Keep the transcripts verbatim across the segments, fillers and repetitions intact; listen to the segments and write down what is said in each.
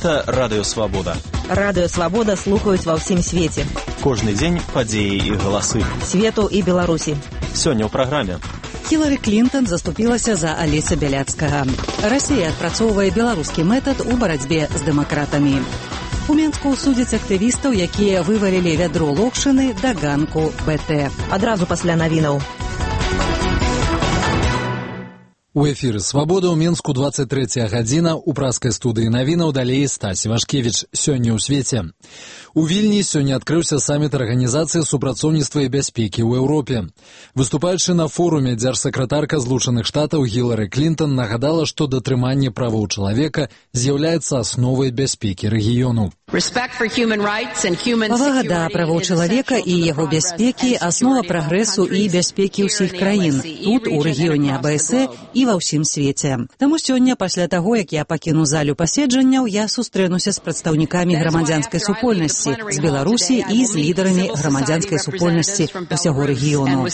Гэта Радыё Свабода. Радыё Свабода слухаюць ва ўсім свеце. Кожны дзень падзеі і галасы. Свету і Беларусі. Сёння ў праграме. Хілары Клінтон заступілася за Аліса Бяляцкага. Расія адпрацоўвае беларускі метад у барацьбе з дэмакратамі. У Менску судзяць актывістаў, якія вывалілі вядро локшыны да ганку БТ. Адразу пасля навінаў. У эфіры «Свабода» ў Менску двадцать третья гадзіна, у праскай студыі навінаў далей Стась Івашкевіч. Сёння ў свеце. У Вільні сёння адкрыўся саміт Арганізацыі супрацоўніцтва і бяспекі ў Еўропе. Выступаючы на форуме, дзяржсакратарка Злучаных Штатаў Хілары Клінтон нагадала, што датрыманне правоў чалавека з'яўляецца асновай бяспекі рэгіёну. Павага да правоў чалавека і яго бяспекі – аснова прагрэсу і бяспекі ўсіх краін, тут, у рэгіёне АБС і ва ўсім свеце. Таму сёння, пасля таго, як я пакіну залю паседжанняў, я сустрэнуся з прадстаўнікамі грамадзянскай супольнасці, з Беларусі і з лідарамі грамадзянскай супольнасці ўсяго рэгіёну.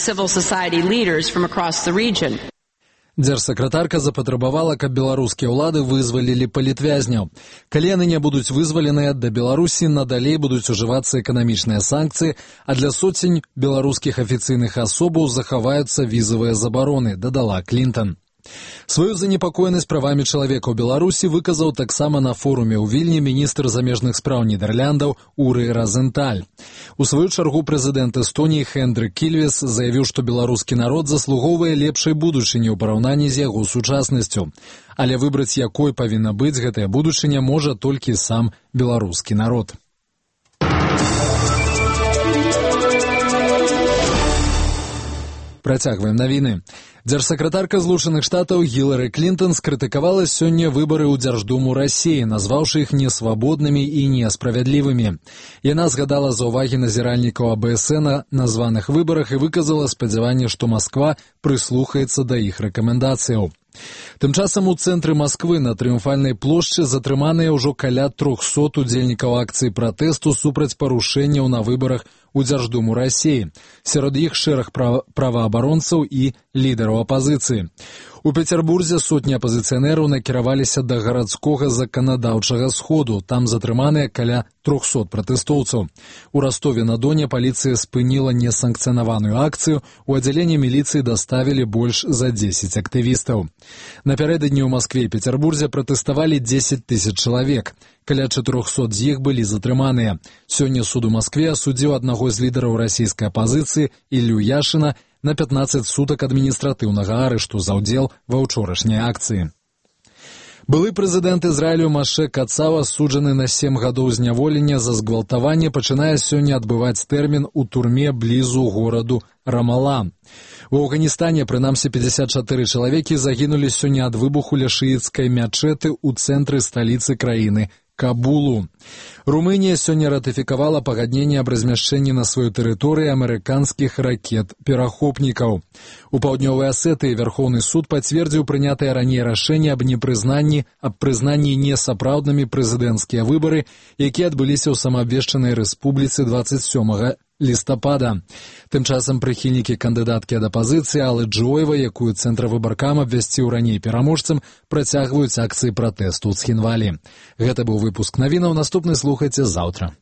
Дзяржсакратарка запатрабавала, каб беларускія ўлады вызвалілі палітвязняў. Калі яны не будуць вызваленыя, да Беларусі надалей будуць ужывацца эканамічныя санкцыі, а для соцень беларускіх афіцыйных асобаў захаваюцца візавыя забароны, дадала Клінтон. Сваю занепакоенасць правамі чалавека ў Беларусі выказаў таксама на форуме ў Вільні міністр замежных спраў Нідэрляндаў Уры Разенталь. У сваю чаргу прэзідэнт Эстоніі Хендрик Кільвес заявіў, што беларускі народ заслугоўвае лепшай будучыні ў параўнанні з яго сучаснасцю. Але выбраць, якой павінна быць гэтая будучыня, можа толькі сам беларускі народ. Працягваем навіны. Дзяржсакратарка Злучаных Штатаў Хілары Клінтон скрытыкавала сёння выбары ў Дзярждуму Расіі, назваўшы іх несвабоднымі і несправядлівымі. Яна згадала заўвагі назіральнікаў АБС на названых выбарах і выказала спадзяванне, што Масква прыслухаецца да іх рэкамендацыяў. Тым часам у цэнтры Масквы на Трыумфальнай плошчы затрыманыя ўжо каля трохсот удзельнікаў акцыі пратэсту супраць парушэнняў на выбарах у Дзярждуму Расіі. Сярод іх шэраг права- праваабаронцаў і лідараў апазіцыі. У Пецярбурзе сотні апазіцыянераў накіраваліся да гарадскога заканадаўчага сходу. Там затрыманыя каля трохсот пратэстоўцаў. У Ростове-на-Доне паліцыя спыніла несанкцыянаваную акцыю. У аддзяленне міліцыі даставілі больш за дзесяць актывістаў. Напярэдадні ў Маскве і Пецярбурзе пратэставалі дзесяць тысяч чалавек. Каля чатырохсот з іх былі затрыманыя. Сёння суд у Маскве асудзіў аднаго з лідараў расійскай апазіцыі Іллю Яшына на пятнаццаць сутак адміністратыўнага арышту за ўдзел ва ўчорашняй акцыі. Былы прэзідэнт Ізраілю Маше Кацава, суджаны на сем гадоў зняволення за згвалтаванне, пачынае сёння адбываць тэрмін у турме блізу гораду Рамала. У Афганістане, прынамсі, пятьдесят чатыры чалавекі загінулі сёння ад выбуху ля шыіцкай мячэты ў цэнтры сталіцы краіны Кабулу. Румынія сёння ратыфікавала пагадненне аб размяшчэнні на сваёй тэрыторыі амерыканскіх ракет-перахопнікаў. У паўднёвай Асетыі Вярхоўны суд пацвердзіў прынятае раней рашэнне аб непрызнанні аб прызнанні несапраўднымі прэзідэнцкія выбары, якія адбыліся ў самаабвешчанай рэспубліцы двадцать сёмага лістапада. Тым часам прыхільнікі кандыдаткі ад апазіцыі Аллы Джоева, якую цэнтравыбаркам абвясціў раней пераможцам, працягваюць акцыі пратэсту ў Цхінвалі. Гэта быў выпуск навінаў, наступны слухайце заўтра.